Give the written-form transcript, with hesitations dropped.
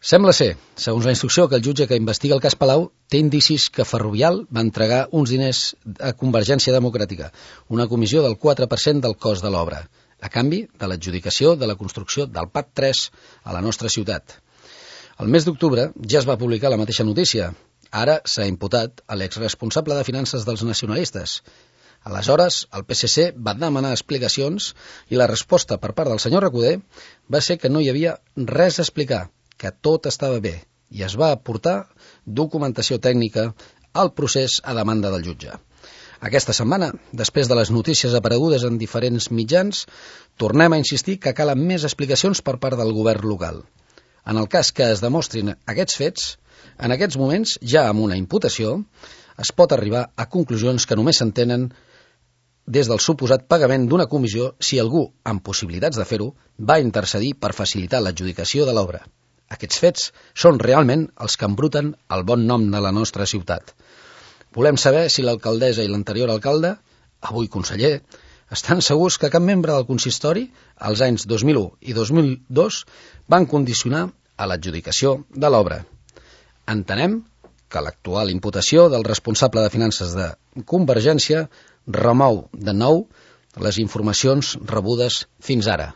Sembla ser, segons la instrucció, que el jutge que investiga el cas Palau té indicis que Ferrovial va entregar uns diners a Convergència Democràtica, una comissió del 4% del cost de l'obra, a canvi de l'adjudicació de la construcció del PAT 3 a la nostra ciutat. El mes d'octubre ja es va publicar la mateixa notícia. Ara s'ha imputat a l'exresponsable de finances dels nacionalistes. Aleshores, el PSC va demanar explicacions i la resposta per part del senyor Recoder va ser que no hi havia res a explicar, que tot estava bé, i es va aportar documentació tècnica al procés a demanda del jutge. Aquesta setmana, després de les notícies aparegudes en diferents mitjans, tornem a insistir que calen més explicacions per part del govern local. En el cas que es demostrin aquests fets, en aquests moments, ja amb una imputació, es pot arribar a conclusions que només s'entenen des del suposat pagament d'una comissió si algú, amb possibilitats de fer-ho, va intercedir per facilitar l'adjudicació de l'obra. Aquests fets són realment els que embruten el bon nom de la nostra ciutat. Volem saber si l'alcaldessa i l'anterior alcalde, avui conseller, estan segurs que cap membre del consistori, als anys 2001 i 2002, van condicionar a l'adjudicació de l'obra. Entenem que l'actual imputació del responsable de finances de Convergència remou de nou les informacions rebudes fins ara.